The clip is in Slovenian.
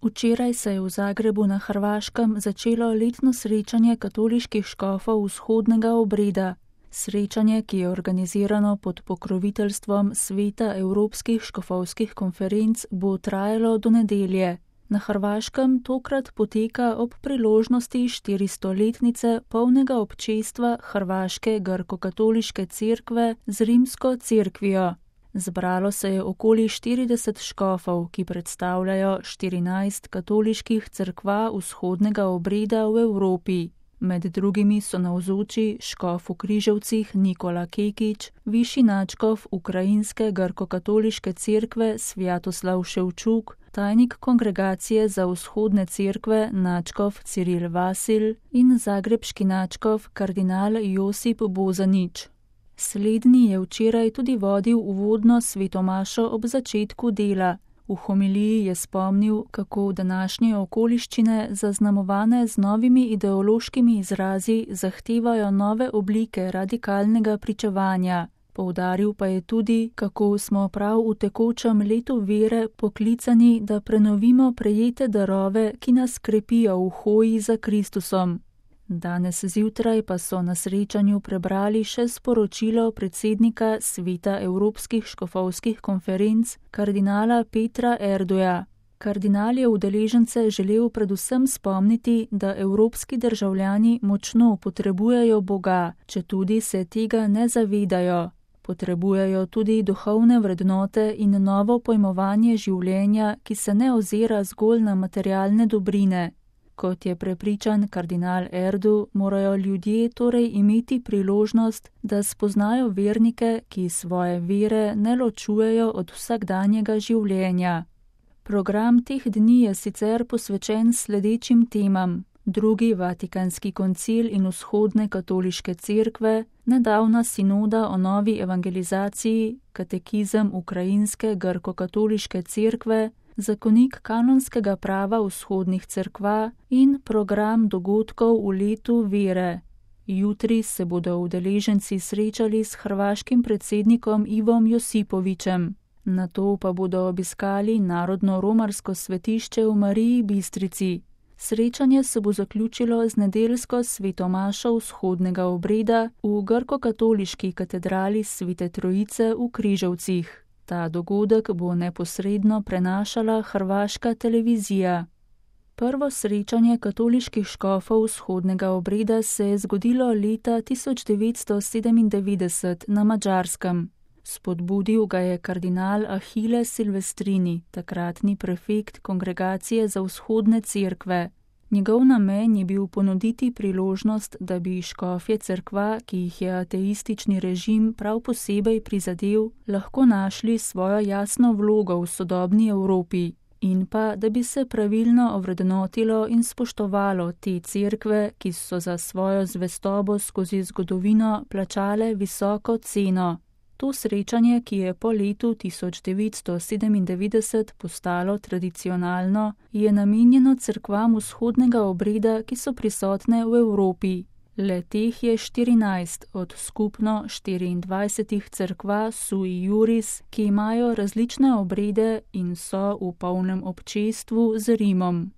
Včeraj se je v Zagrebu na Hrvaškem začelo letno srečanje katoliških škofov vzhodnega obreda. Srečanje, ki je organizirano pod pokroviteljstvom Sveta evropskih škofovskih konferenc, bo trajalo do nedelje. Na Hrvaškem tokrat poteka ob priložnosti 400-letnice polnega občestva Hrvaške grkokatoliške cerkve z rimsko cerkvijo. Zbralo se je okoli 40 škofov, ki predstavljajo 14 katoliških cerkva vzhodnega obreda v Evropi. Med drugimi so navzoči škof v Križevcih Nikola Kekić, višji nadškof Ukrajinske grkokatoliške cerkve Svjatoslav Ševčuk, tajnik Kongregacije za vzhodne cerkve nadškof Ciril Vasil in zagrebški nadškof kardinal Josip Bozanić. Slednji je včeraj tudi vodil uvodno svetomašo ob začetku dela. V homiliji je spomnil, kako današnje okoliščine, zaznamovane z novimi ideološkimi izrazi, zahtevajo nove oblike radikalnega pričevanja. Poudaril pa je tudi, kako smo prav v tekočem letu vere poklicani, da prenovimo prejete darove, ki nas krepijo v hoji za Kristusom. Danes zjutraj pa so na srečanju prebrali še sporočilo predsednika Sveta evropskih škofovskih konferenc, kardinala Petra Erdoja. Kardinal je udeležence želel predvsem spomniti, da evropski državljani močno potrebujejo Boga, četudi se tega ne zavedajo. Potrebujejo tudi duhovne vrednote in novo pojmovanje življenja, ki se ne ozira zgolj na materialne dobrine. Kot je prepričan kardinal Erdu, morajo ljudje torej imeti priložnost, da spoznajo vernike, ki svoje vere ne ločujejo od vsakdanjega življenja. Program teh dni je sicer posvečen sledečim temam: Drugi Vatikanski koncil in vzhodne katoliške cerkve, nedavna sinoda o novi evangelizaciji, katekizem Ukrajinske grkokatoliške cerkve, zakonik kanonskega prava vzhodnih cerkva in program dogodkov v letu vere. Jutri se bodo udeleženci srečali s hrvaškim predsednikom Ivom Josipovićem. Nato pa bodo obiskali Narodno romarsko svetišče v Mariji Bistrici. Srečanje se bo zaključilo z nedeljsko svetomašo vzhodnega obreda v grkokatoliški katedrali Svete Trojice v Križevcih. Ta dogodek bo neposredno prenašala hrvaška televizija. Prvo srečanje katoliških škofov vzhodnega obreda se je zgodilo leta 1997 na Madžarskem. Spodbudil ga je kardinal Achille Silvestrini, takratni prefekt Kongregacije za vzhodne cerkve. Njegov namen je bil ponuditi priložnost, da bi škofje cerkva, ki jih je ateistični režim prav posebej prizadel, lahko našli svojo jasno vlogo v sodobni Evropi in pa, da bi se pravilno ovrednotilo in spoštovalo te cerkve, ki so za svojo zvestobo skozi zgodovino plačale visoko ceno. To srečanje, ki je po letu 1997 postalo tradicionalno, je namenjeno cerkvam vzhodnega obreda, ki so prisotne v Evropi. Le teh je 14 od skupno 24 cerkva sui juris, ki imajo različne obrede in so v polnem občestvu z Rimom.